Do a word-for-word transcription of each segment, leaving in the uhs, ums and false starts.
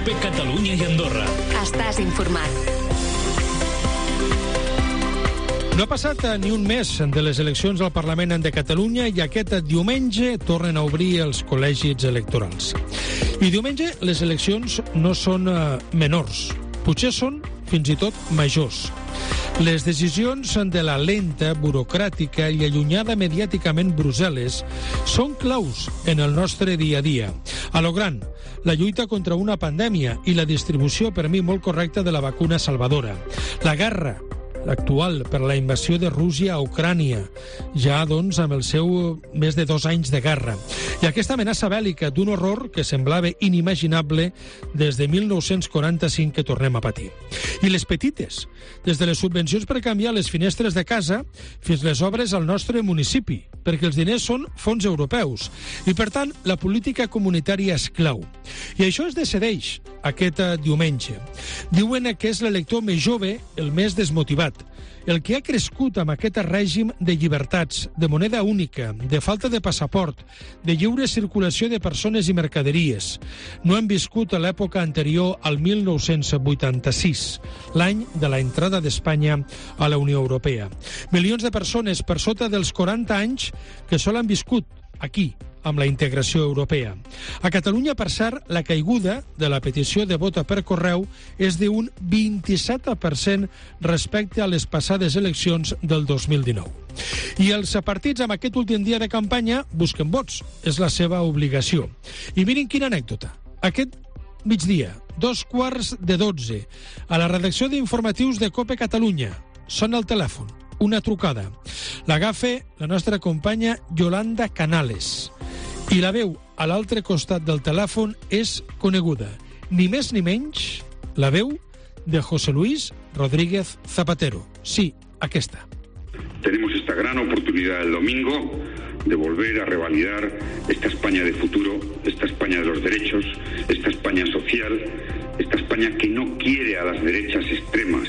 COPE Catalunya i Andorra. Estàs informat. No ha passat ni un mes de les eleccions al Parlament de Catalunya i aquest diumenge tornen a obrir els col·legis electorals. I diumenge les eleccions no són uh, menors, potser són fins i tot majors. Les decisions de la lenta, burocràtica i allunyada mediàticament Brussel·les són claus en el nostre dia a dia. A lo gran, la lluita contra una pandèmia i la distribució per mi molt correcta de la vacuna salvadora. La guerra actual per la invasió de Rússia a Ucrània, ja doncs amb el seu més de dos anys de guerra. I aquesta amenaça bèl·lica d'un horror que semblava inimaginable des de mil nou-cents quaranta-cinc que tornem a patir. I les petites, des de les subvencions per canviar les finestres de casa fins les obres al nostre municipi, perquè els diners són fons europeus i, per tant, la política comunitària és clau. I això es decideix aquest diumenge. Diuen que és l'elector més jove el més desmotivat, el que ha crescut amb aquest règim de llibertats, de moneda única, de falta de passaport, de lliure circulació de persones i mercaderies. No hem viscut a l'època anterior al mil nou-cents vuitanta-sis, l'any de la entrada d'Espanya a la Unió Europea. Milions de persones per sota dels quaranta anys que sol han viscut aquí, amb la integració europea. A Catalunya, per cert, la caiguda de la petició de vot per correu és d'un vint-i-set per cent respecte a les passades eleccions del dos mil dinou. I els partits amb aquest últim dia de campanya busquen vots. És la seva obligació. I mirin quina anècdota. Aquest migdia, dos quarts de dotze, a la redacció d'informatius de COPE Catalunya, sona el telèfon, una trucada. L'agafa la nostra companya Yolanda Canales. I la veu a l'altre costat del telèfon és coneguda. Ni més ni menys, la veu de José Luis Rodríguez Zapatero. Sí, aquesta. Tenemos esta gran oportunidad el domingo de volver a revalidar esta España de futuro, esta España de los derechos, esta España social, esta España que no quiere a las derechas extremas,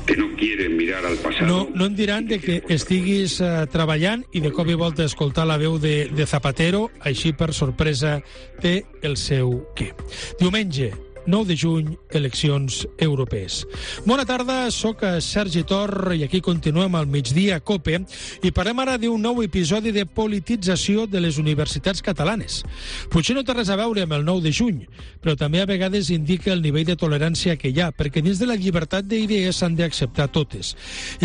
que no quieren mirar al passat. No, no em diran de que estiguis uh, treballant i de cop i volta escoltar la veu de, de Zapatero, així per sorpresa té el seu què. Diumenge, nou de juny, eleccions europees. Bona tarda, sóc Sergi Tor i aquí continuem al migdia a COPE i parlem ara d'un nou episodi de politització de les universitats catalanes. Potser no té res a veure amb el nou de juny, però també a vegades indica el nivell de tolerància que hi ha, perquè dins de la llibertat d'idees s'han d'acceptar totes.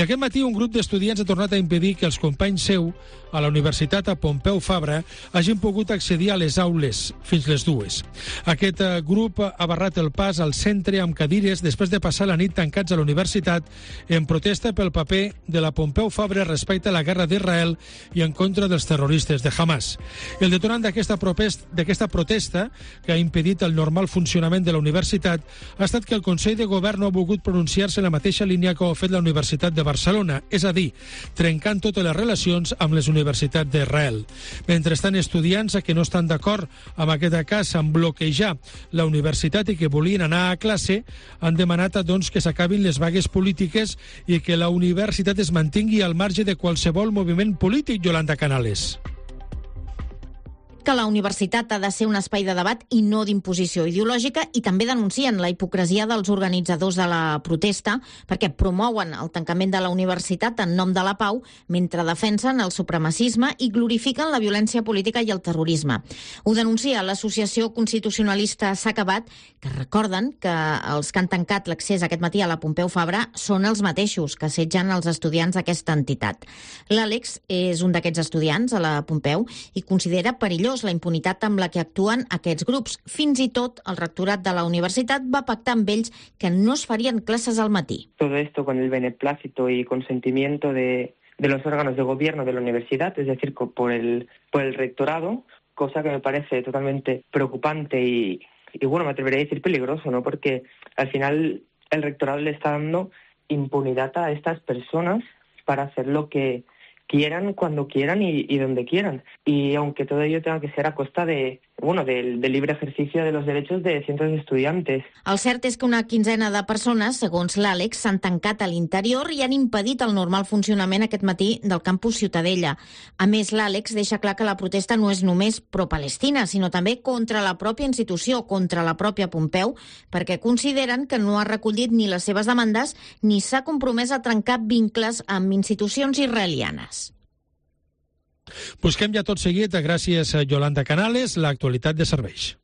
I aquest matí un grup d'estudiants ha tornat a impedir que els companys seu a la Universitat a Pompeu Fabra hagin pogut accedir a les aules fins les dues. Aquest grup ha barrat el pas al centre amb cadires després de passar la nit tancats a la universitat en protesta pel paper de la Pompeu Fabra respecte a la guerra d'Israel i en contra dels terroristes de Hamas. El detonant d'aquesta protesta, que ha impedit el normal funcionament de la universitat, ha estat que el Consell de Govern no ha volgut pronunciar-se en la mateixa línia que ho ha fet la Universitat de Barcelona, és a dir, trencant totes les relacions amb les universitats d'Israel. Mentrestant, estudiants que no estan d'acord amb aquest cas en bloquejar la universitat i que volien anar a classe han demanat doncs, que s'acabin les vagues polítiques i que la universitat es mantingui al marge de qualsevol moviment polític, Yolanda Canales. Que la universitat ha de ser un espai de debat i no d'imposició ideològica, i també denuncien la hipocresia dels organitzadors de la protesta perquè promouen el tancament de la universitat en nom de la pau mentre defensen el supremacisme i glorifiquen la violència política i el terrorisme. Ho denuncia l'Associació Constitucionalista S'ha Acabat, que recorden que els que han tancat l'accés aquest matí a la Pompeu Fabra són els mateixos que assetgen els estudiants d'aquesta entitat. L'Àlex és un d'aquests estudiants a la Pompeu i considera perillós la impunitat amb la que actuen aquests grups. Fins i tot el rectorat de la universitat va pactar amb ells que no es farien classes al matí. Todo esto con el beneplácito y consentimiento de, de los órganos de gobierno de la universidad, es decir, por el, por el rectorado, cosa que me parece totalmente preocupante y, y bueno, me atrevería a decir peligroso, ¿no? Porque al final el rectorado le está dando impunidad a estas personas para hacer lo que quieran, cuando quieran y, y donde quieran. Y aunque todo ello tenga que ser a costa de, bueno, del, del libre ejercicio de los derechos de cientos de estudiantes. El cert és que una quinzena de persones, segons l'Àlex, s'han tancat a l'interior i han impedit el normal funcionament aquest matí del campus Ciutadella. A més, l'Àlex deixa clar que la protesta no és només pro-Palestina, sinó també contra la pròpia institució, contra la pròpia Pompeu, perquè consideren que no ha recollit ni les seves demandes ni s'ha compromès a trencar vincles amb institucions israelianes. Busquem ja tot seguit, gràcies a Yolanda Canales, l'actualitat de serveis.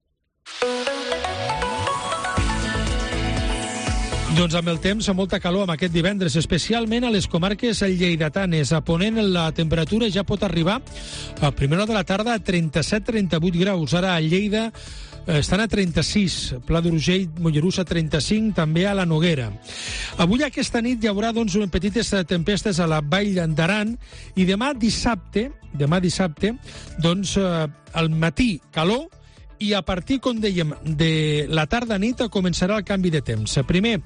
Doncs amb el temps, molta calor amb aquest divendres, especialment a les comarques lleidatanes. A Ponent la temperatura ja pot arribar a primera hora de la tarda a trenta-set a trenta-vuit graus. Ara a Lleida estan a trenta-sis, Pla d'Urgell, Mollerussa trenta-cinc, també a la Noguera. Avui aquesta nit hi haurà doncs, petites tempestes a la Vall d'Aran i demà dissabte, demà dissabte, doncs al matí calor i a partir, com dèiem, de la tarda-nit començarà el canvi de temps. Primer,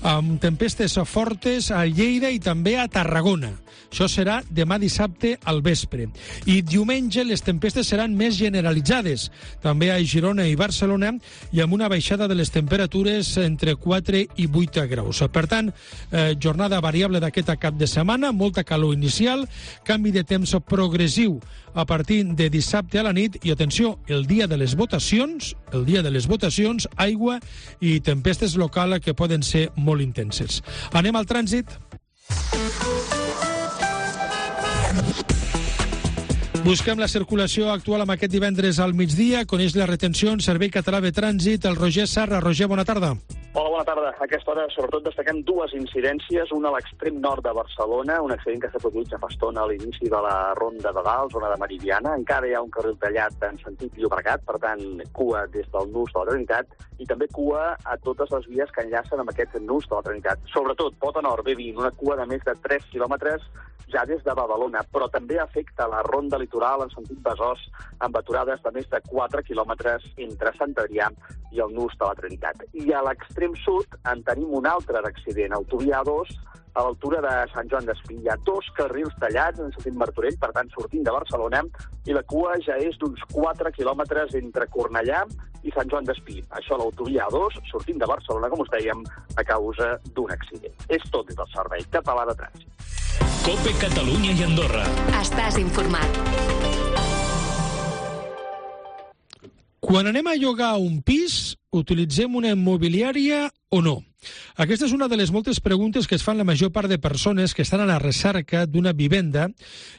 amb tempestes fortes a Lleida i també a Tarragona. Això serà demà dissabte al vespre. I diumenge les tempestes seran més generalitzades, també a Girona i Barcelona, i amb una baixada de les temperatures entre quatre i vuit graus. Per tant, eh, jornada variable d'aquest cap de setmana, molta calor inicial, canvi de temps progressiu a partir de dissabte a la nit i, atenció, el dia de les votacions, el dia de les votacions, aigua i tempestes locals que poden ser molt intenses. Anem al trànsit. Busquem la circulació actual amb aquest divendres al migdia. Coneix la retenció en Servei Català de Trànsit. El Roger Sarra. Roger, bona tarda. Hola, bona tarda. A aquesta hora, sobretot, destaquem dues incidències. Una a l'extrem nord de Barcelona, un accident que s'ha produït ja fa estona a l'inici de la Ronda de Dalt, zona de Meridiana. Encara hi ha un carril tallat en sentit Llobregat, per tant, cua des del nus de la Trinitat, i també cua a totes les vies que enllacen amb aquest nus de la Trinitat. Sobretot, Pota Nord, B vint, una cua de més de tres quilòmetres ja des de Badalona, però també afecta la Ronda Litoral en sentit Besòs, amb aturades de més de quatre quilòmetres entre Sant Adrià i el nus de la Trinitat. I a l'extrem sud en tenim un altre d'accident, autovia A dos, a l'altura de Sant Joan d'Espí. Hi ha dos carrils tallats en sentit Martorell, per tant, sortint de Barcelona, i la cua ja és d'uns quatre quilòmetres entre Cornellà i Sant Joan d'Espí. Això a l'autovia A dos, sortint de Barcelona, com us dèiem, a causa d'un accident. És tot des del Servei Català de Trànsit. COPE Catalunya i Andorra. Estàs informat. Quan anem a llogar un pis, utilitzem una immobiliària o no? Aquesta és una de les moltes preguntes que es fan la major part de persones que estan a la recerca d'una vivenda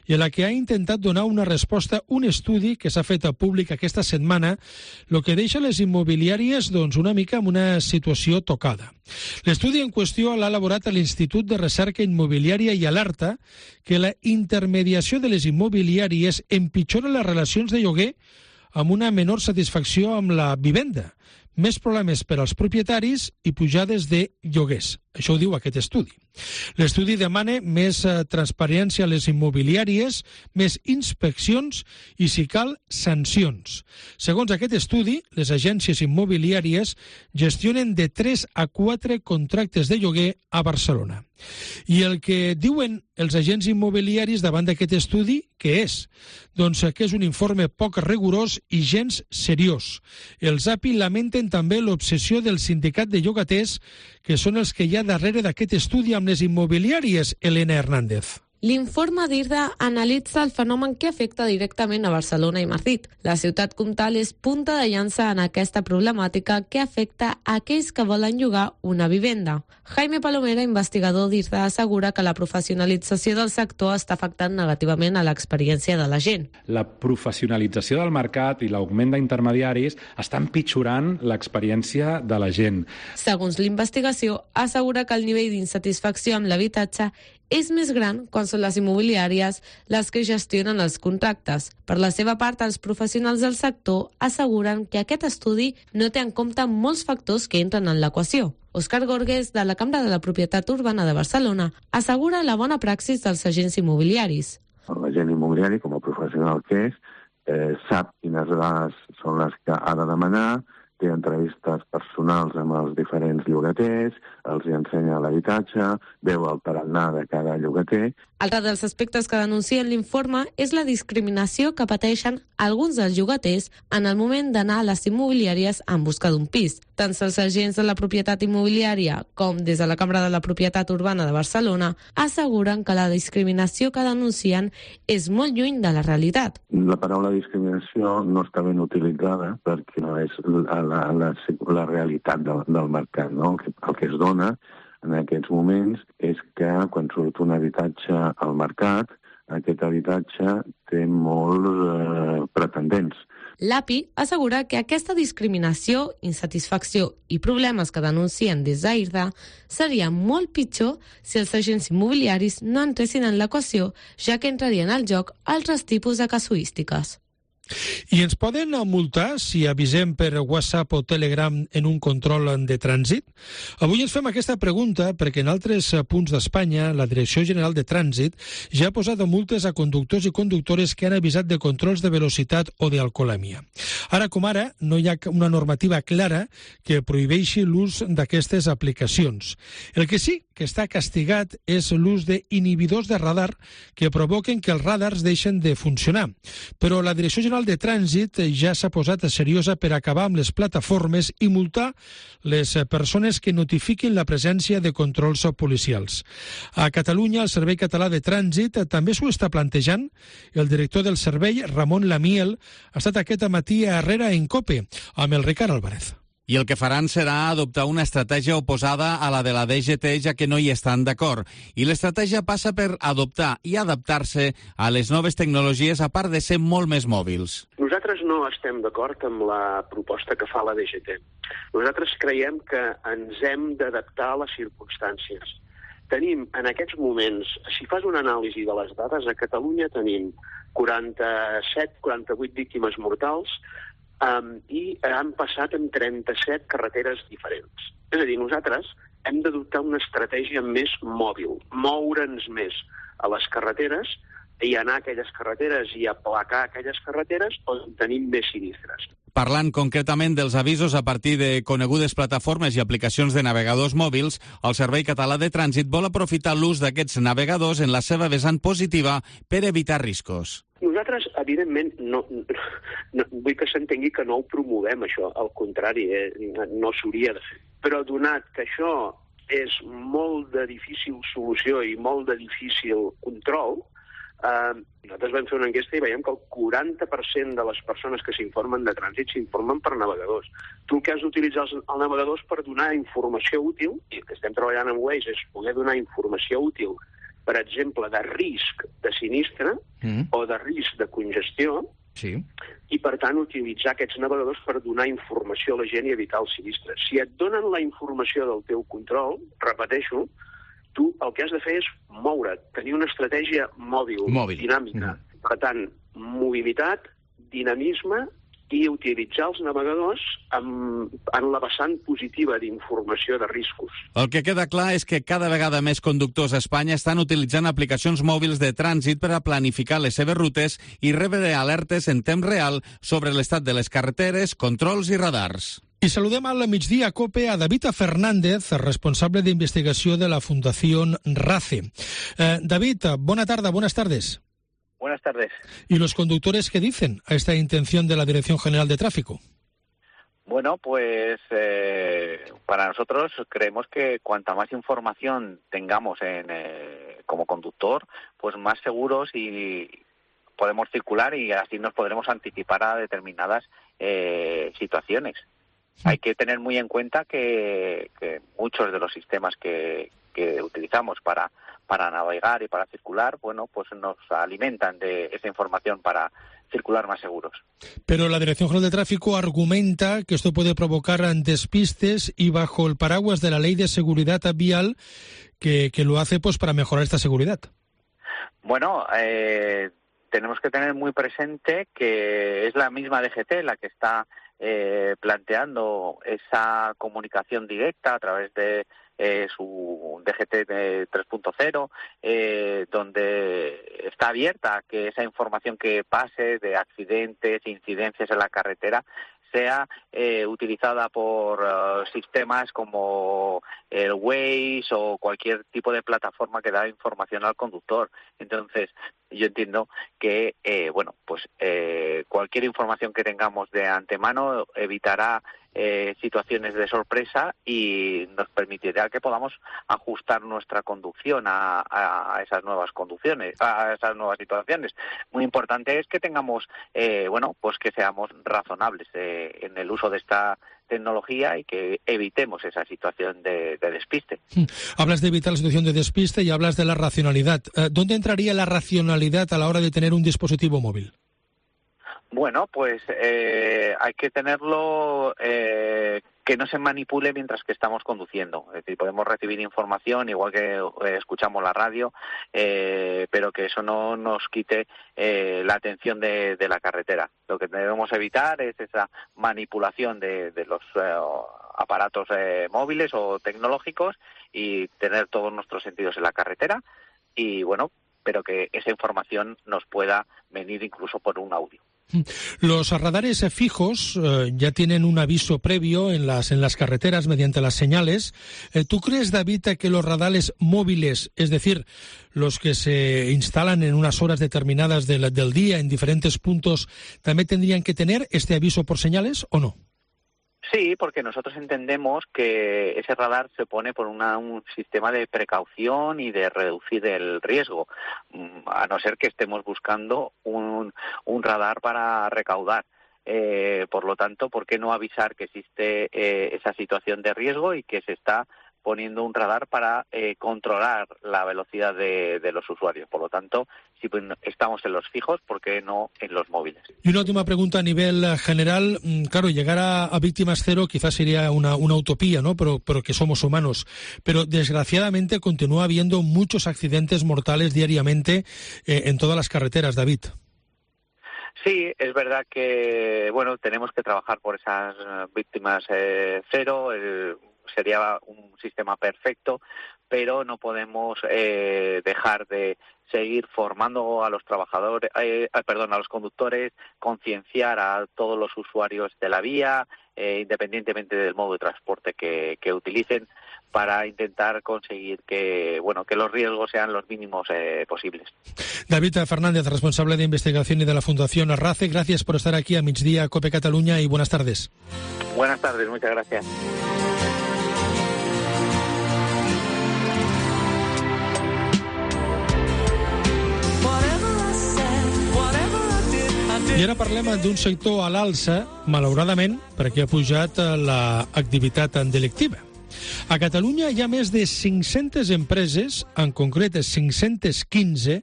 i a la que ha intentat donar una resposta un estudi que s'ha fet públic aquesta setmana, el que deixa les immobiliàries doncs, una mica en una situació tocada. L'estudi en qüestió l'ha elaborat a l'Institut de Recerca Immobiliària i alerta que la intermediació de les immobiliàries empitjora les relacions de lloguer amb una menor satisfacció amb la vivenda, més problemes per als propietaris i pujades de lloguers. Això ho diu aquest estudi. L'estudi demana més eh, transparència a les immobiliàries, més inspeccions i, si cal, sancions. Segons aquest estudi, les agències immobiliàries gestionen de tres a quatre contractes de lloguer a Barcelona. I el que diuen els agents immobiliaris davant d'aquest estudi, què és? Doncs que és un informe poc rigorós i gens seriós. Els A P I lamenten també l'obsessió del sindicat de llogaters, que són els que hi ha darrere d'aquest estudi amb les immobiliàries, Elena Hernández. L'informe d'IRDA analitza el fenomen que afecta directament a Barcelona i Madrid. La ciutat comtal és punta de llança en aquesta problemàtica que afecta a aquells que volen llogar una vivenda. Jaime Palomera, investigador d'IRDA, assegura que la professionalització del sector està afectant negativament a l'experiència de la gent. La professionalització del mercat i l'augment d'intermediaris està empitjorant l'experiència de la gent. Segons l'investigació, assegura que el nivell d'insatisfacció amb l'habitatge és més gran quan són les immobiliàries les que gestionen els contractes. Per la seva part, els professionals del sector asseguren que aquest estudi no té en compte molts factors que entren en l'equació. Òscar Gorgues, de la Cambra de la Propietat Urbana de Barcelona, assegura la bona praxis dels agents immobiliaris. L'agent immobiliari, com a professional que és, eh, sap quines dades són les que ha de demanar, té entrevistes personals amb els diferents llogaters, els hi ensenya l'habitatge, veu el tarannà de cada llogater. Altre dels aspectes que denuncien l'informe és la discriminació que pateixen alguns dels llogaters en el moment d'anar a les immobiliàries en busca d'un pis. Tant els agents de la propietat immobiliària com des de la Cambra de la Propietat Urbana de Barcelona asseguren que la discriminació que denuncien és molt lluny de la realitat. La paraula discriminació no està ben utilitzada perquè no és la, la, la, la realitat del, del mercat, no? El que es dona en aquests moments és que quan surt un habitatge al mercat, aquest habitatge té molts eh, pretendents. L'A P I assegura que aquesta discriminació, insatisfacció i problemes que denuncien des d'AIRDA seria molt pitjor si els agents immobiliaris no entressin en l'equació, ja que entrarien al joc altres tipus de casuístiques. I ens poden multar si avisem per WhatsApp o Telegram en un control de trànsit? Avui ens fem aquesta pregunta perquè en altres punts d'Espanya la Direcció General de Trànsit ja ha posat multes a conductors i conductores que han avisat de controls de velocitat o d'alcoholèmia. Ara com ara no hi ha una normativa clara que prohibeixi l'ús d'aquestes aplicacions. El que sí que està castigat és l'ús d'inhibidors de radar que provoquen que els radars deixen de funcionar. Però la Direcció General de Trànsit ja s'ha posat seriosa per acabar amb les plataformes i multar les persones que notifiquin la presència de controls policials. A Catalunya, el Servei Català de Trànsit també s'ho està plantejant. El director del servei, Ramon Lamiel, ha estat aquest matí a Herrera en COPE amb el Ricard Álvarez. I el que faran serà adoptar una estratègia oposada a la de la D G T, ja que no hi estan d'acord. I l'estratègia passa per adoptar i adaptar-se a les noves tecnologies, a part de ser molt més mòbils. Nosaltres no estem d'acord amb la proposta que fa la D G T. Nosaltres creiem que ens hem d'adaptar a les circumstàncies. Tenim en aquests moments, si fas una anàlisi de les dades, a Catalunya tenim quaranta-set quaranta-vuit víctimes mortals, Um, i han passat en trenta-set carreteres diferents. És a dir, nosaltres hem d'adoptar una estratègia més mòbil, moure'ns més a les carreteres i anar a aquelles carreteres i aplacar aquelles carreteres on tenim més sinistres. Parlant concretament dels avisos a partir de conegudes plataformes i aplicacions de navegadors mòbils, el Servei Català de Trànsit vol aprofitar l'ús d'aquests navegadors en la seva vessant positiva per evitar riscos. Nosaltres, evidentment, no, no, vull que s'entengui que no ho promovem, això. Al contrari, eh, no s'hauria de fer. Però donat que això és molt de difícil solució i molt de difícil control, eh, nosaltres vam fer una enquesta i veiem que el quaranta per cent de les persones que s'informen de trànsit s'informen per navegadors. Tu el que has d'utilitzar els, els navegadors per donar informació útil, i el que estem treballant amb Waze és poder donar informació útil, per exemple, de risc de sinistre mm. o de risc de congestió, sí. I, per tant, utilitzar aquests navegadors per donar informació a la gent i evitar el sinistre. Si et donen la informació del teu control, repeteixo, tu el que has de fer és moure't, tenir una estratègia mòbil, mòbil. dinàmica. Mm. Per tant, mobilitat, dinamisme i utilitzar els navegadors en, en la vessant positiva d'informació de riscos. El que queda clar és que cada vegada més conductors a Espanya estan utilitzant aplicacions mòbils de trànsit per a planificar les seves rutes i rebre alertes en temps real sobre l'estat de les carreteres, controls i radars. I saludem al migdia a COPE a David Fernández, responsable d'investigació de la Fundació RACE. Eh, David, bona tarda, buenas tardes. Buenas tardes. ¿Y los conductores qué dicen a esta intención de la Dirección General de Tráfico? Bueno, pues eh, para nosotros creemos que cuanta más información tengamos en, eh, como conductor, pues más seguros y podemos circular y así nos podremos anticipar a determinadas eh, situaciones. Sí. Hay que tener muy en cuenta que, que muchos de los sistemas que, que utilizamos para para navegar y para circular, bueno, pues nos alimentan de esa información para circular más seguros. Pero la Dirección General de Tráfico argumenta que esto puede provocar despistes y bajo el paraguas de la Ley de Seguridad Vial que, que lo hace pues para mejorar esta seguridad. Bueno, eh, tenemos que tener muy presente que es la misma D G T la que está eh, planteando esa comunicación directa a través de Eh, su D G T tres punto cero, eh, donde está abierta que esa información que pase de accidentes, incidencias en la carretera, sea eh, utilizada por uh, sistemas como el Waze o cualquier tipo de plataforma que da información al conductor. Entonces, yo entiendo que, eh, bueno, pues eh, cualquier información que tengamos de antemano evitará eh, situaciones de sorpresa y nos permitirá que podamos ajustar nuestra conducción a, a, a esas nuevas conducciones, a esas nuevas situaciones. Muy importante es que tengamos, eh, bueno, pues que seamos razonables eh, en el uso de esta tecnología y que evitemos esa situación de, de despiste. Hablas de evitar la situación de despiste y hablas de la racionalidad. ¿Dónde entraría la racionalidad a la hora de tener un dispositivo móvil? Bueno, pues eh, hay que tenerlo eh, que no se manipule mientras que estamos conduciendo. Es decir, podemos recibir información igual que eh, escuchamos la radio, eh, pero que eso no nos quite eh, la atención de, de la carretera. Lo que debemos evitar es esa manipulación de, de los eh, aparatos eh, móviles o tecnológicos y tener todos nuestros sentidos en la carretera y, bueno, pero que esa información nos pueda venir incluso por un audio. Los radares fijos eh, ya tienen un aviso previo en las en las carreteras mediante las señales. Eh, ¿Tú crees, David, que los radares móviles, es decir, los que se instalan en unas horas determinadas del, del día en diferentes puntos, también tendrían que tener este aviso por señales o no? Sí, porque nosotros entendemos que ese radar se pone por una, un sistema de precaución y de reducir el riesgo, a no ser que estemos buscando un, un radar para recaudar. Eh, por lo tanto, ¿por qué no avisar que existe eh, esa situación de riesgo y que se está poniendo un radar para eh, controlar la velocidad de, de los usuarios? Por lo tanto, si estamos en los fijos, ¿por qué no en los móviles? Y una última pregunta a nivel general. Claro, llegar a, a víctimas cero quizás sería una, una utopía, ¿no? Pero, pero que somos humanos. Pero desgraciadamente continúa habiendo muchos accidentes mortales diariamente eh, en todas las carreteras, David. Sí, es verdad que, bueno, tenemos que trabajar por esas víctimas eh, cero. El, sería un sistema perfecto, pero no podemos eh, dejar de seguir formando a los trabajadores, eh, perdón, a los conductores, concienciar a todos los usuarios de la vía, eh, independientemente del modo de transporte que, que utilicen, para intentar conseguir que, bueno, que los riesgos sean los mínimos eh, posibles. David Fernández, responsable de investigación y de la Fundación RACE, gracias por estar aquí a Migdia Cope Cataluña y buenas tardes. Buenas tardes, muchas gracias. I ara parlem d'un sector a l'alça, malauradament, perquè ha pujat l'activitat delictiva. A Catalunya hi ha més de cinc-centes empreses, en concret cinc-centes quinze,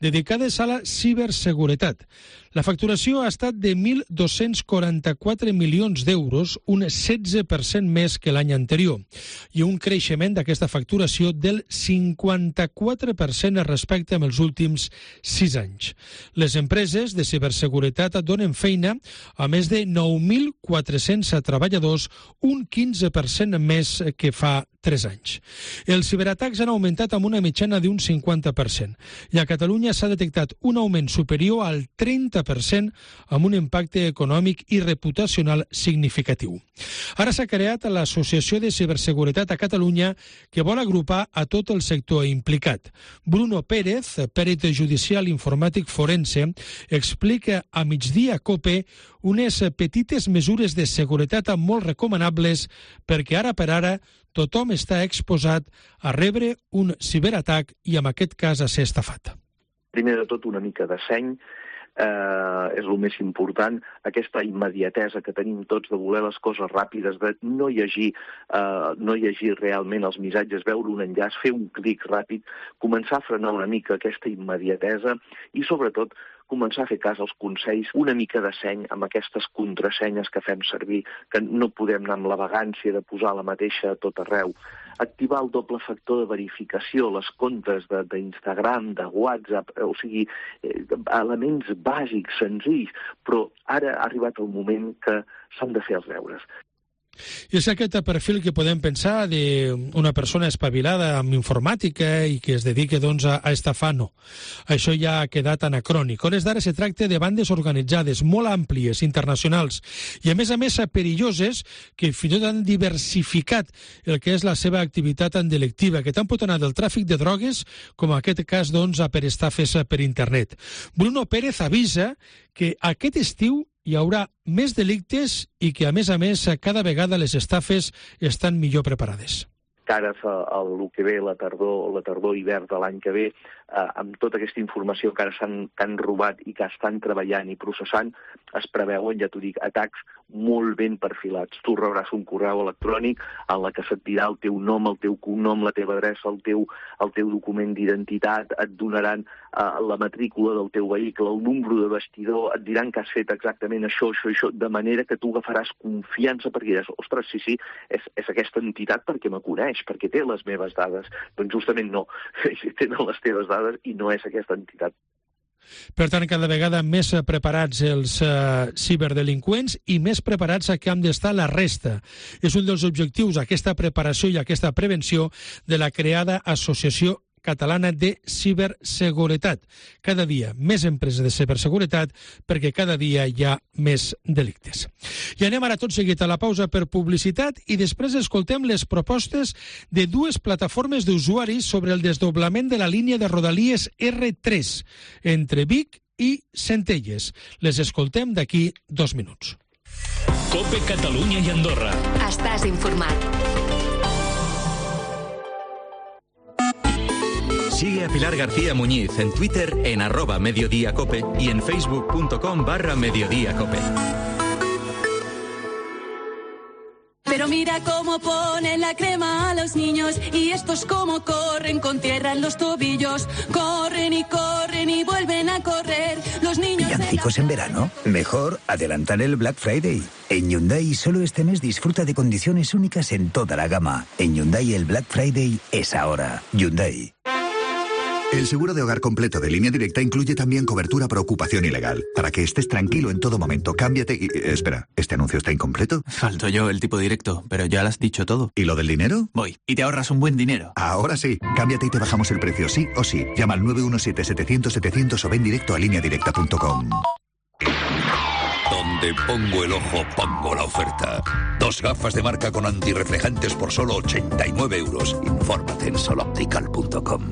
dedicades a la ciberseguretat. La facturació ha estat de mil dos-cents quaranta-quatre milions d'euros, un setze per cent més que l'any anterior, i un creixement d'aquesta facturació del cinquanta-quatre per cent respecte amb els últims sis anys. Les empreses de ciberseguretat donen feina a més de nou mil quatre-cents treballadors, un quinze per cent més que fa tres anys. Els ciberatacs han augmentat amb una mitjana d'un cinquanta per cent i a Catalunya s'ha detectat un augment superior al trenta per cent amb un impacte econòmic i reputacional significatiu. Ara s'ha creat l'Associació de Ciberseguretat a Catalunya que vol agrupar a tot el sector implicat. Bruno Pérez, pèrit judicial informàtic forense, explica a Migdia Cope unes petites mesures de seguretat molt recomanables perquè ara per ara tothom està exposat a rebre un ciberatac i, en aquest cas, a ser estafat. Primer de tot, una mica de seny. Eh, és el més important, aquesta immediatesa que tenim tots de voler les coses ràpides, de no llegir, eh, no llegir realment els missatges, veure un enllaç, fer un clic ràpid, començar a frenar una mica aquesta immediatesa i, sobretot, començar a fer cas als consells, una mica de seny amb aquestes contrasenyes que fem servir, que no podem anar amb la vagància de posar la mateixa a tot arreu. Activar el doble factor de verificació, les comptes d'Instagram, de, de WhatsApp, o sigui, eh, elements bàsics, senzills, però ara ha arribat el moment que s'han de fer els deures. I és aquest perfil que podem pensar d'una persona espavilada amb informàtica i que es dedica doncs, a, a estafar, no. Això ja ha quedat anacrònic. Hores d'ara se tracta de bandes organitzades, molt àmplies, internacionals, i a més a més perilloses, que fins i tot han diversificat el que és la seva activitat delictiva, que tant pot anar del tràfic de drogues com en aquest cas doncs, per estafes per internet. Bruno Pérez avisa que aquest estiu hi haurà més delictes i que, a més a més, cada vegada les estafes estan millor preparades. Cara al que ve la tardor, la tardor hivern de l'any que ve, eh, amb tota aquesta informació que ara s'han han robat i que estan treballant i processant, es preveuen, ja t'ho dic, atacs molt ben perfilats. Tu rebràs un correu electrònic en la que se't dirà el teu nom, el teu cognom, la teva adreça, el teu, el teu document d'identitat, et donaran eh, la matrícula del teu vehicle, el número de bastidor, et diran que has fet exactament això, això, això, de manera que tu agafaràs confiança perquè diràs, ostres, sí, sí, és, és aquesta entitat perquè me coneix, perquè té les meves dades. Doncs justament no, tenen les teves dades i no és aquesta entitat. Per tant, cada vegada més preparats els uh, ciberdelinqüents i més preparats a què han d'estar la resta. És un dels objectius, aquesta preparació i aquesta prevenció de la creada Associació Catalana de Ciberseguretat. Cada dia més empreses de ciberseguretat perquè cada dia hi ha més delictes. I anem ara tot seguit a la pausa per publicitat i després escoltem les propostes de dues plataformes d'usuaris sobre el desdoblament de la línia de Rodalies erre tres entre Vic i Centelles. Les escoltem d'aquí dos minuts. COPE Catalunya i Andorra. Estàs informat. Sigue a Pilar García Muñiz en Twitter en arroba mediodíacope y en facebook.com barra mediodíacope. Pero mira cómo ponen la crema a los niños y estos cómo corren con tierra en los tobillos. Corren y corren y vuelven a correr. Los niños... ¿Villancicos en verano? Mejor adelantar el Black Friday. En Hyundai solo este mes disfruta de condiciones únicas en toda la gama. En Hyundai el Black Friday es ahora. Hyundai. El seguro de hogar completo de Línea Directa incluye también cobertura por ocupación ilegal. Para que estés tranquilo en todo momento, cámbiate y... Espera, ¿este anuncio está incompleto? Falto yo el tipo directo, pero ya lo has dicho todo. ¿Y lo del dinero? Voy, y te ahorras un buen dinero. Ahora sí, cámbiate y te bajamos el precio, sí o sí. Llama al nueve uno siete, setecientos, setecientos o ven directo a línea directa punto com. Donde pongo el ojo, pongo la oferta. Dos gafas de marca con antirreflejantes por solo ochenta y nueve euros. Infórmate en sol optical punto com.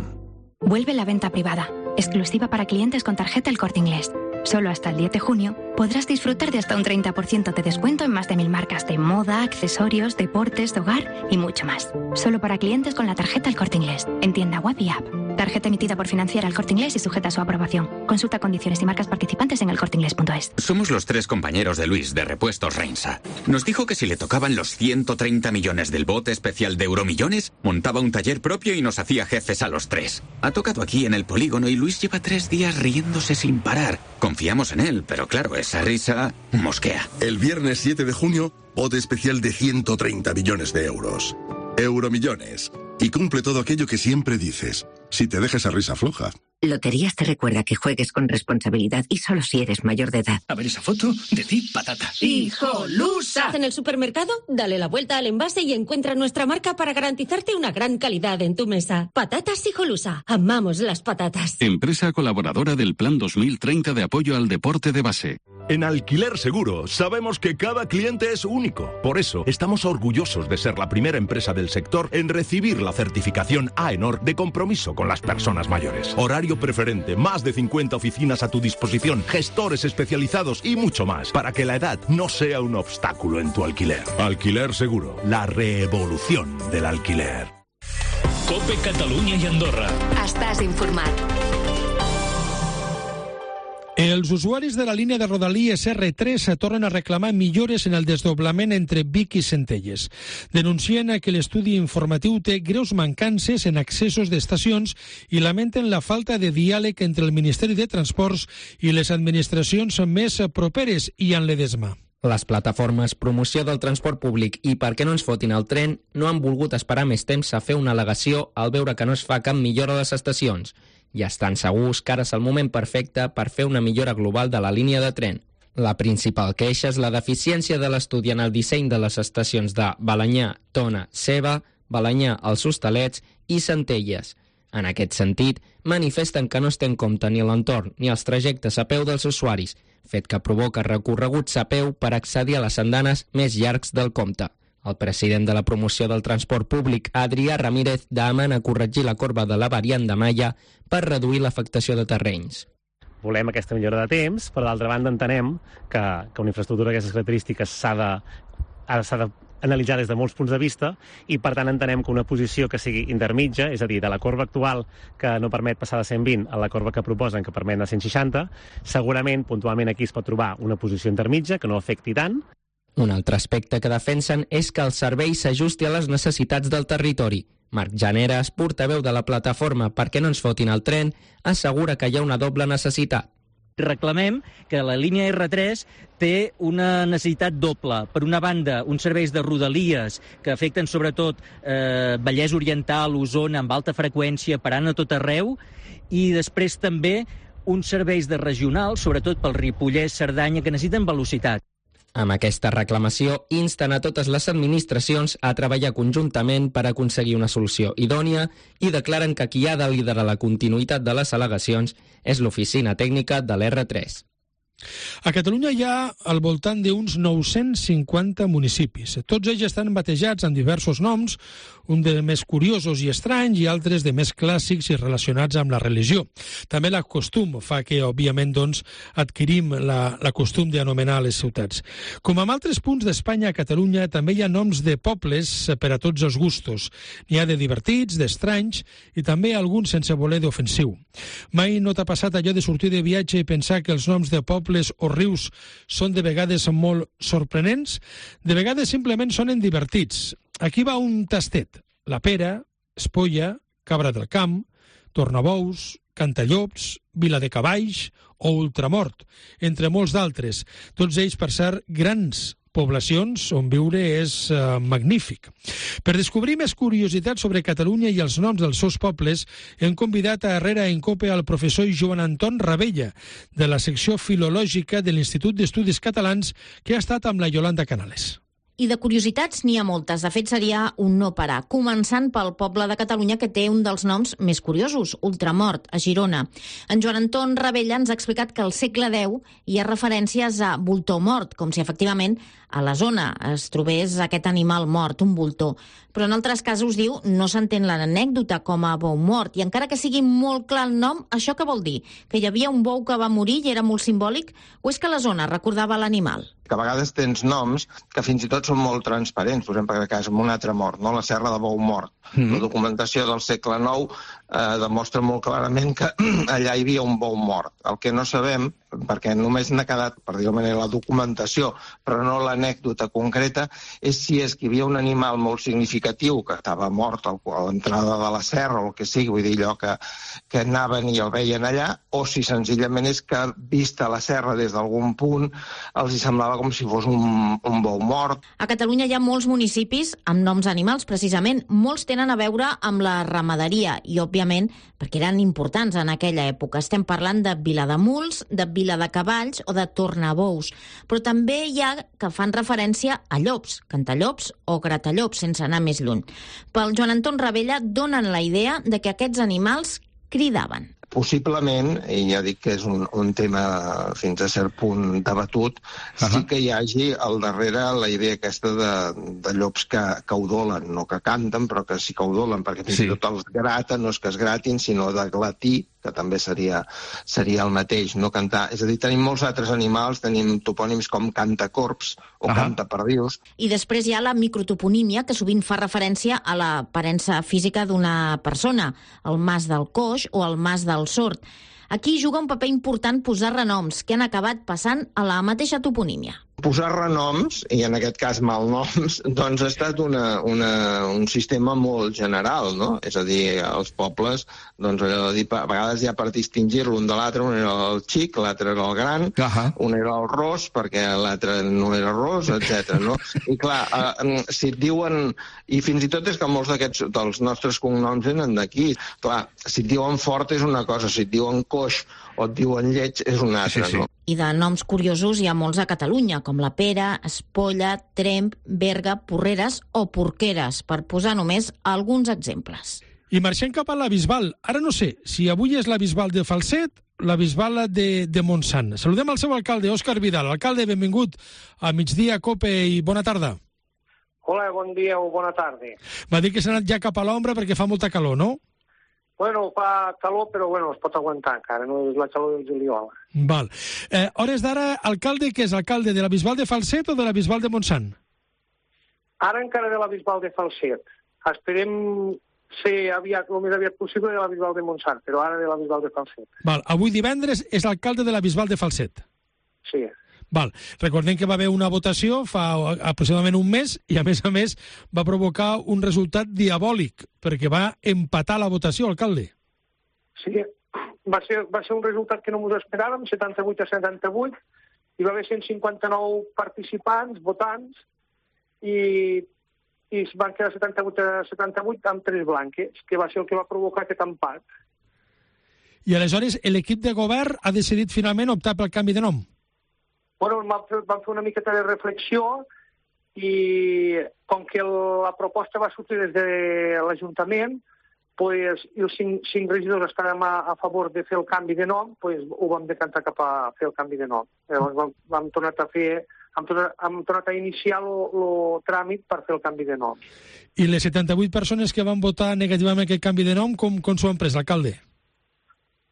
Vuelve la venta privada, exclusiva para clientes con tarjeta El Corte Inglés. Solo hasta el diez de junio podrás disfrutar de hasta un treinta por ciento de descuento en más de mil marcas de moda, accesorios, deportes, de hogar y mucho más. Solo para clientes con la tarjeta El Corte Inglés, en tienda web y app. Tarjeta emitida por Financiera El Corte Inglés y sujeta a su aprobación. Consulta condiciones y marcas participantes en el corte inglés punto es. Somos los tres compañeros de Luis, de Repuestos Reinsa. Nos dijo que si le tocaban los ciento treinta millones del bote especial de Euromillones, montaba un taller propio y nos hacía jefes a los tres. Ha tocado aquí en el polígono y Luis lleva tres días riéndose sin parar. Confiamos en él, pero claro, esa risa mosquea. El viernes siete de junio, bote especial de ciento treinta millones de euros. Euromillones. Y cumple todo aquello que siempre dices, si te dejas a risa floja. Loterías te recuerda que juegues con responsabilidad y solo si eres mayor de edad. A ver esa foto, de ti, patata. ¡Hijolusa! En el supermercado, dale la vuelta al envase y encuentra nuestra marca para garantizarte una gran calidad en tu mesa. Patatas Hijolusa. Amamos las patatas. Empresa colaboradora del Plan dos mil treinta de apoyo al deporte de base. En Alquiler Seguro sabemos que cada cliente es único. Por eso estamos orgullosos de ser la primera empresa del sector en recibir la certificación AENOR de compromiso con las personas mayores. Horario preferente, más de cincuenta oficinas a tu disposición, gestores especializados y mucho más, para que la edad no sea un obstáculo en tu alquiler. Alquiler Seguro, la revolución del alquiler. COPE Catalunya i Andorra. Estàs informat. Els usuaris de la línia de Rodalies erre tres tornen a reclamar millores en el desdoblament entre Vic i Centelles. Denuncien que l'estudi informatiu té greus mancances en accessos d'estacions i lamenten la falta de diàleg entre el Ministeri de Transports i les administracions més properes i en l'Edesma. Les plataformes Promoció del Transport Públic i Per què no ens fotin el tren no han volgut esperar més temps a fer una al·legació al veure que no es fa cap millora a les estacions. I estan segurs que ara és el moment perfecte per fer una millora global de la línia de tren. La principal queixa és la deficiència de l'estudi en el disseny de les estacions de Balenyà, Tona, Ceba, Balenyà, els Hostalets i Centelles. En aquest sentit, manifesten que no es té en compte ni l'entorn ni els trajectes a peu dels usuaris, fet que provoca recorreguts a peu per accedir a les andanes més llargs del compte. El president de la promoció del transport públic, Adrià Ramírez, demana corregir la corba de la variant de Malla per reduir l'afectació de terrenys. Volem aquesta millora de temps, però d'altra banda entenem que, que una infraestructura d'aquestes característiques s'ha de, s'ha d'analitzar des de molts punts de vista i per tant entenem que una posició que sigui intermitja, és a dir, de la corba actual que no permet passar de cent vint a la corba que proposen que permet de cent seixanta, segurament puntualment aquí es pot trobar una posició intermitja que no afecti tant. Un altre aspecte que defensen és que el servei s'ajusti a les necessitats del territori. Marc Janeres, portaveu de la plataforma Perquè no ens fotin el tren, assegura que hi ha una doble necessitat. Reclamem que la línia erre tres té una necessitat doble. Per una banda, uns serveis de rodalies que afecten sobretot eh, Vallès Oriental, Osona, amb alta freqüència, parant a tot arreu, i després també uns serveis de regional, sobretot pel Ripollès, Cerdanya, que necessiten velocitat. Amb aquesta reclamació, insten a totes les administracions a treballar conjuntament per aconseguir una solució idònia i declaren que qui ha de liderar la continuïtat de les al·legacions és l'oficina tècnica de l'erre tres. A Catalunya hi ha al voltant d'uns nou-cents cinquanta municipis. Tots ells estan batejats amb diversos noms, un de més curiosos i estranys i altres de més clàssics i relacionats amb la religió. També la costum fa que, òbviament, doncs, adquirim la, la costum d'anomenar les ciutats. Com amb altres punts d'Espanya, a Catalunya també hi ha noms de pobles per a tots els gustos. N'hi ha de divertits, d'estranys i també alguns sense voler d'ofensiu. Mai no t'ha passat allò de sortir de viatge i pensar que els noms de pobles o rius són de vegades molt sorprenents? De vegades simplement sonen divertits. Aquí va un tastet. La Pera, Espolla, Cabra del Camp, Tornabous, Cantallops, Viladecavalls o Ultramort, entre molts d'altres. Tots ells, per ser grans poblacions on viure és uh, magnífic. Per descobrir més curiositats sobre Catalunya i els noms dels seus pobles, hem convidat a Herrera en Cope al professor Joan Anton Ravella, de la secció filològica de l'Institut d'Estudis Catalans, que ha estat amb la Yolanda Canales. I de curiositats n'hi ha moltes. De fet, seria un no parar. Començant pel poble de Catalunya que té un dels noms més curiosos, Ultramort, a Girona. En Joan Anton Ravella ens ha explicat que al segle deu hi ha referències a voltor mort, com si efectivament a la zona es trobés aquest animal mort, un voltor. Però en altres casos, diu, no s'entén l'anècdota com a bou mort. I encara que sigui molt clar el nom, això què vol dir? Que hi havia un bou que va morir i era molt simbòlic? O és que la zona recordava l'animal? Que a vegades tens noms que fins i tot són molt transparents. Per exemple, que és un altre mort, no? La Serra de Bou Mort. Mm-hmm. La documentació del segle nou eh, demostra molt clarament que allà hi havia un bou mort. El que no sabem, perquè només n'ha quedat, per dir-ho manera, la documentació, però no l'anècdota concreta, és si és que hi havia un animal molt significatiu que estava mort a l'entrada de la serra o el que sigui, vull dir, allò que, que anaven i el veien allà, o si senzillament és que, vista la serra des d'algun punt, els hi semblava com si fos un, un bou mort. A Catalunya hi ha molts municipis amb noms animals, precisament. Molts tenen a veure amb la ramaderia i, òbviament, perquè eren importants en aquella època. Estem parlant de Vilademuls, de Viladecavalls o de Tornabous. Però també hi ha que fan referència a llops, cantallops o gratallops, sense anar més lluny. Pel Joan Anton Ravella donen la idea de que aquests animals cridaven. Possiblement, i ja dic que és un, un tema fins a cert punt debatut, uh-huh. sí que hi hagi al darrere la idea aquesta de, de llops que, que udolen, no que canten, però que sí que udolen, perquè fins i sí. tot els graten, no és que es gratin, sinó de glatir, que també seria, seria el mateix, no cantar. És a dir, tenim molts altres animals, tenim topònims com cantacorps o uh-huh. cantaperdius. I després hi ha la microtoponímia, que sovint fa referència a l'aparença física d'una persona, el mas del coix o el mas del sord. Aquí juga un paper important posar renoms, que han acabat passant a la mateixa toponímia. Posar renoms, i en aquest cas malnoms, doncs ha estat una, una, un sistema molt general, no? És a dir, els pobles, doncs allò de dir, a vegades ja per distingir-lo un de l'altre, un era el xic, l'altre era el gran, uh-huh. un era el ros, perquè l'altre no era ros, etcètera. No? I clar, eh, si et diuen, i fins i tot és que molts d'aquests, dels nostres cognoms venen d'aquí, clar, si et diuen fort és una cosa, si et diuen coix o et diuen lleig és una altra, sí, sí. no? I de noms curiosos hi ha molts a Catalunya, com la Pera, Espolla, Tremp, Berga, Porreres o Porqueres, per posar només alguns exemples. I marxem cap a la Bisbal. Ara no sé si avui és la Bisbal de Falset, la Bisbal de, de Montsant. Saludem al seu alcalde, Òscar Vidal. Alcalde, benvingut a Migdia Cope i bona tarda. Hola, bon dia o bona tarda. Va dir que s'ha anat ja cap a l'ombra perquè fa molta calor, no? Bueno, fa calor, però bueno, es pot aguantar encara, no és la calor del juliol. Val. Eh, hores d'ara, alcalde, que és alcalde de la Bisbal de Falset o de la Bisbal de Montsant? Ara encara de la Bisbal de Falset. Esperem ser aviat, el més aviat possible de la Bisbal de Montsant, però ara de la Bisbal de Falset. Val. Avui divendres és alcalde de la Bisbal de Falset. Sí. Val. Recordem que va haver una votació fa aproximadament un mes i, a més a més, va provocar un resultat diabòlic, perquè va empatar la votació, alcalde. Sí, va ser, va ser un resultat que no ens esperàvem, setanta-vuit a setanta-vuit, hi va haver cent cinquanta-nou participants, votants, i, i es van quedar setanta-vuit a setanta-vuit amb tres blanques, que va ser el que va provocar aquest empat. I aleshores l'equip de govern ha decidit finalment optar pel canvi de nom? Bueno, vam fer, vam fer una miqueta de reflexió i com que la proposta va sortir des de l'Ajuntament, pues, i els cinc, cinc regidors estàvem a, a favor de fer el canvi de nom, pues, ho vam decantar cap a fer el canvi de nom. Llavors vam, vam tornar a fer, hem tornat, hem tornat a iniciar el tràmit per fer el canvi de nom. I les setanta-vuit persones que van votar negativament aquest canvi de nom, com, com s'ho han pres, alcalde?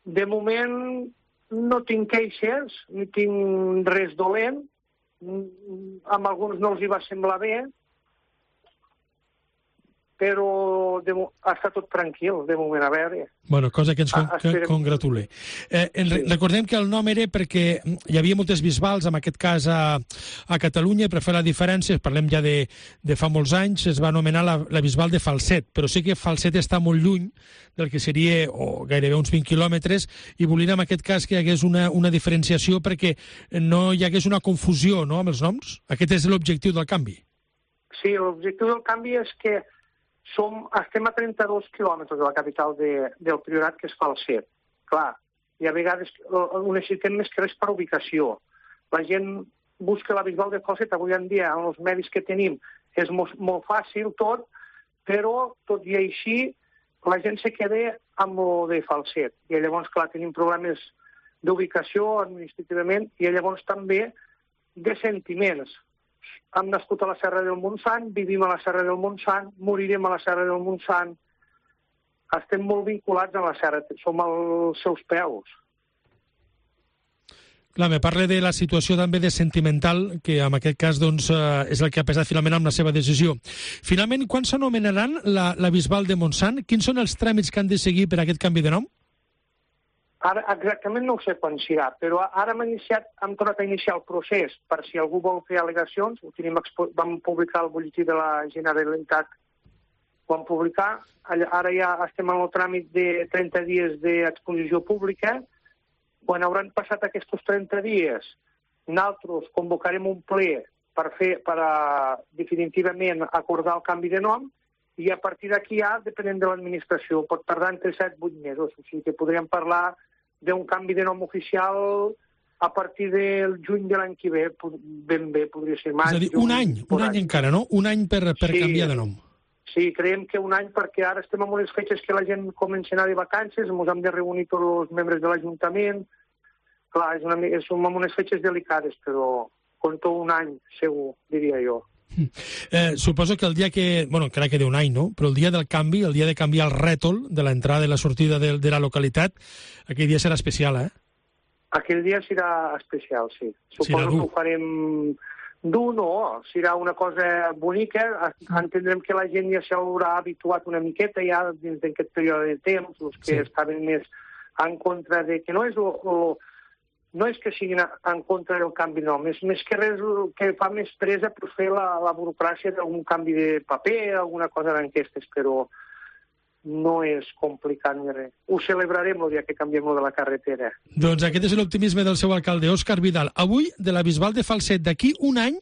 De moment no tinc queixes, ni tinc res dolent, amb alguns no els hi va semblar bé, però de, està tot tranquil, de moment, a veure. Bueno, cosa que ens con que congratule. Eh, en, sí. Recordem que el nom era perquè hi havia moltes bisbals, en aquest cas a, a Catalunya, per fer la diferència, parlem ja de, de fa molts anys, es va anomenar la, la Bisbal de Falset, però sí que Falset està molt lluny del que seria, o gairebé uns vint quilòmetres, i volien en aquest cas que hi hagués una, una diferenciació perquè no hi hagués una confusió, no?, amb els noms. Aquest és l'objectiu del canvi. Sí, l'objectiu del canvi és que Som, estem a trenta-dos quilòmetres de la capital de, del Priorat, que és Falset. Clar, i a vegades ho necessitem més que res per ubicació. La gent busca la Bisbal de Falset, avui en dia, amb els medis que tenim, és molt, molt fàcil tot, però tot i així la gent se queda amb el de Falset. I llavors, clar, tenim problemes d'ubicació administrativament i llavors també de sentiments. Hem nascut a la Serra del Montsant, vivim a la Serra del Montsant, morirem a la Serra del Montsant. Estem molt vinculats a la Serra, som als seus peus. Clar, me parla de la situació també de sentimental, que en aquest cas doncs, eh, és el que ha pesat finalment amb la seva decisió. Finalment, quan s'anomenaran la, la Bisbal de Montsant? Quins són els tràmits que han de seguir per aquest canvi de nom? Ara, exactament no ho sé quan serà, però ara hem, iniciat, hem tornat a iniciar el procés per si algú vol fer al·legacions. Ho tenim, vam publicar el butlletí de la Generalitat, ho vam publicar. Ara ja estem en el tràmit de trenta dies d'exposició pública. Quan hauran passat aquests trenta dies, nosaltres convocarem un ple per fer, per a, definitivament acordar el canvi de nom, i a partir d'aquí ja, depenent de l'administració, pot tardar entre set i vuit mesos. O sigui que podríem parlar d'un canvi de nom oficial a partir del juny de l'any que ve, ben bé, podria ser maig. És a dir, un any, un any encara, no? Un any per, per sí, canviar de nom. Sí, creiem que un any, perquè ara estem en unes fetges que la gent comença a anar de vacances, ens hem de reunir tots els membres de l'Ajuntament. Clar, és una, és, som en unes fetges delicades, però compto un any, segur, diria jo. Eh, suposo que el dia que, bueno, encara queda un any, no? Però el dia del canvi, el dia de canviar el rètol de l'entrada i la sortida de, de la localitat, aquell dia serà especial, eh? Aquell dia serà especial, sí. Suposo que ho farem dur, no, serà una cosa bonica, entendrem que la gent ja s'haurà habituat una miqueta ja dins d'aquest període de temps, els que sí. estaven més en contra de... que no és lo, lo, no és que siguin en contra del canvi de nom, és més que res que fa més presa per fer la, la burocràcia d'algun canvi de paper, alguna cosa d'aquestes, però no és complicat ni res. Ho celebrarem el dia que canviem de la carretera. Doncs aquest és l'optimisme del seu alcalde, Òscar Vidal. Avui, de la Bisbal de Falset, d'aquí un any,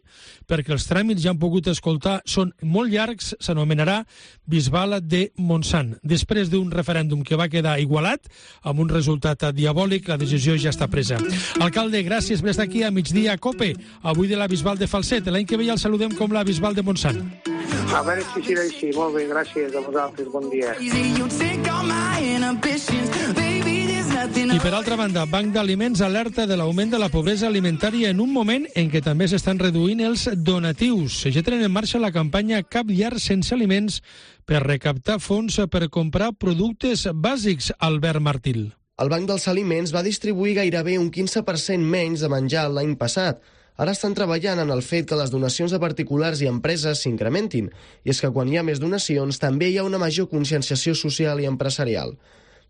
perquè els tràmits ja han pogut escoltar, són molt llargs, s'anomenarà Bisbal de Montsant. Després d'un referèndum que va quedar igualat, amb un resultat diabòlic, la decisió ja està presa. Alcalde, gràcies per estar aquí a migdia a COPE, avui de la Bisbal de Falset. L'any que ve ja el saludem com la Bisbal de Montsant. A veure si serà així. Molt bé, gràcies a vosaltres. Bon dia. I per altra banda, Banc d'Aliments alerta de l'augment de la pobresa alimentària en un moment en què també s'estan reduint els donatius. Ja tenen en marxa la campanya Cap llar sense aliments per recaptar fons per comprar productes bàsics, Albert Martil. El Banc dels Aliments va distribuir gairebé un quinze per cent menys de menjar l'any passat. Ara estan treballant en el fet que les donacions de particulars i empreses s'incrementin, i és que quan hi ha més donacions també hi ha una major conscienciació social i empresarial.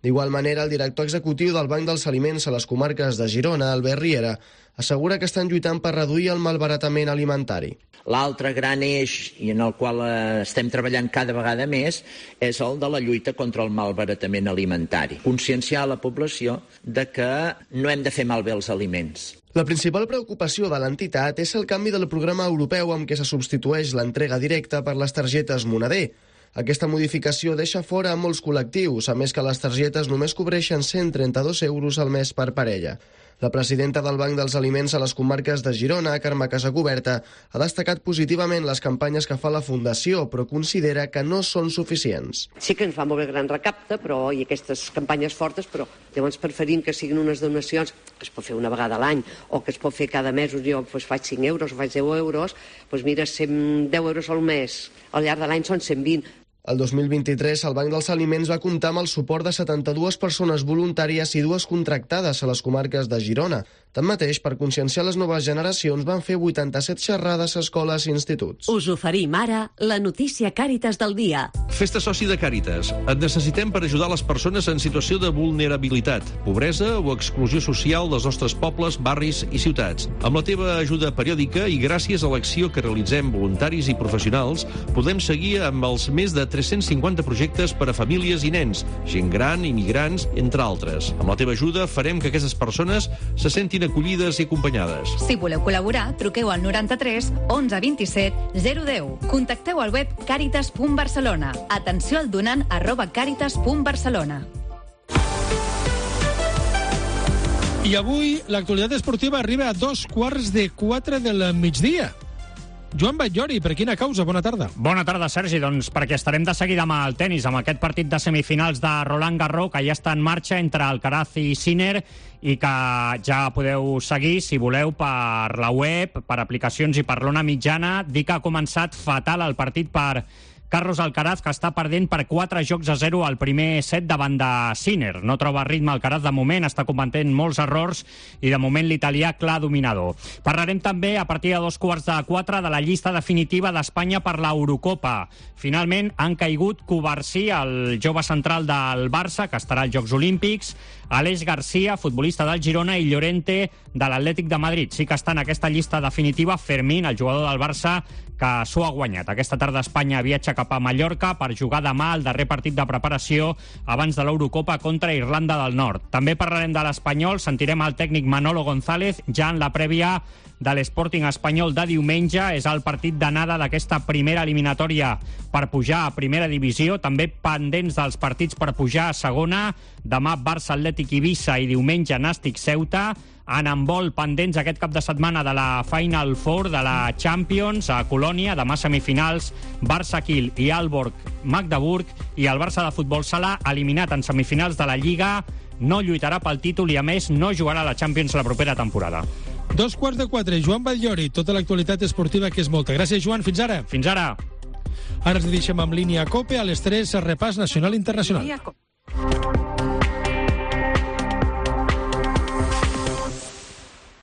D'igual manera, el director executiu del Banc dels Aliments a les comarques de Girona, Albert Riera, assegura que estan lluitant per reduir el malbaratament alimentari. L'altre gran eix, i en el qual estem treballant cada vegada més, és el de la lluita contra el malbaratament alimentari. Conscienciar la població de que no hem de fer malbé els aliments. La principal preocupació de l'entitat és el canvi del programa europeu amb què se substitueix l'entrega directa per les targetes Moneder. Aquesta modificació deixa fora a molts col·lectius, a més que les targetes només cobreixen cent trenta-dos euros al mes per parella. La presidenta del Banc dels Aliments a les comarques de Girona, Carme Casacuberta, ha destacat positivament les campanyes que fa la Fundació, però considera que no són suficients. Sí que ens fa molt bé gran recapte, però i aquestes campanyes fortes, però llavors preferim que siguin unes donacions que es pot fer una vegada a l'any o que es pot fer cada mes. Jo doncs, faig cinc euros o faig deu euros, doncs mira, cent deu euros al mes. Al llarg de l'any són cent vint. El dos mil vint-i-tres, el Banc dels Aliments va comptar amb el suport de setanta-dues persones voluntàries i dues contractades a les comarques de Girona. Tanmateix, per conscienciar les noves generacions, van fer vuitanta-set xerrades a escoles i instituts. Us oferim ara la notícia Càritas del dia. Fes-te soci de Càritas. Et necessitem per ajudar les persones en situació de vulnerabilitat, pobresa o exclusió social dels nostres pobles, barris i ciutats. Amb la teva ajuda periòdica i gràcies a l'acció que realitzem voluntaris i professionals, podem seguir amb els més de tres-cents cinquanta projectes per a famílies i nens, gent gran, immigrants, entre altres. Amb la teva ajuda farem que aquestes persones se sentin acollides i acompanyades. Si voleu col·laborar, truqueu al noranta-tres onze vint-i-set zero deu. Contacteu al web caritas punt barcelona. Atenció al donant arroba caritas punt barcelona. I avui l'actualitat esportiva arriba a dos quarts de quatre del migdia. Joan Batllori, per quina causa? Bona tarda. Bona tarda, Sergi. Doncs perquè estarem de seguida amb el tennis, amb aquest partit de semifinals de Roland Garros, que ja està en marxa entre Alcaraz i Sinner, i que ja podeu seguir, si voleu, per la web, per aplicacions i per l'Ona Mitjana. Dic que ha començat fatal el partit per Carlos Alcaraz, que està perdent per quatre jocs a zero al primer set davant de Sinner. No troba ritme Alcaraz de moment, està cometent molts errors i de moment l'italià clar dominador. Parlarem també a partir de dos quarts de quatre de la llista definitiva d'Espanya per l'Eurocopa. Finalment han caigut Covarsí, el jove central del Barça, que estarà als Jocs Olímpics, Aleix Garcia, futbolista del Girona, i Llorente, de l'Atlètic de Madrid. Sí que està en aquesta llista definitiva Fermín, el jugador del Barça, que s'ho ha guanyat. Aquesta tarda Espanya viatja cap a Mallorca per jugar demà el darrer partit de preparació abans de l'Eurocopa contra Irlanda del Nord. També parlarem de l'Espanyol, sentirem el tècnic Manolo González ja en la prèvia de l'Sporting espanyol de diumenge. És el partit d'anada d'aquesta primera eliminatòria per pujar a primera divisió, també pendents dels partits per pujar a segona. Demà Barça Atlètic Eivissa i diumenge Nàstic Ceuta. En handbol pendents aquest cap de setmana de la Final Four de la Champions a Colònia, demà semifinals Barça Kiel i Aalborg Magdeburg, i el Barça de futbol sala, eliminat en semifinals de la Lliga, no lluitarà pel títol i a més no jugarà a la Champions la propera temporada. Dos quarts de quatre, Joan Batllori, tota l'actualitat esportiva que és molta. Gràcies, Joan, fins ara. Fins ara. Ara ens deixem amb línia COPE, a les tres, repàs nacional i internacional.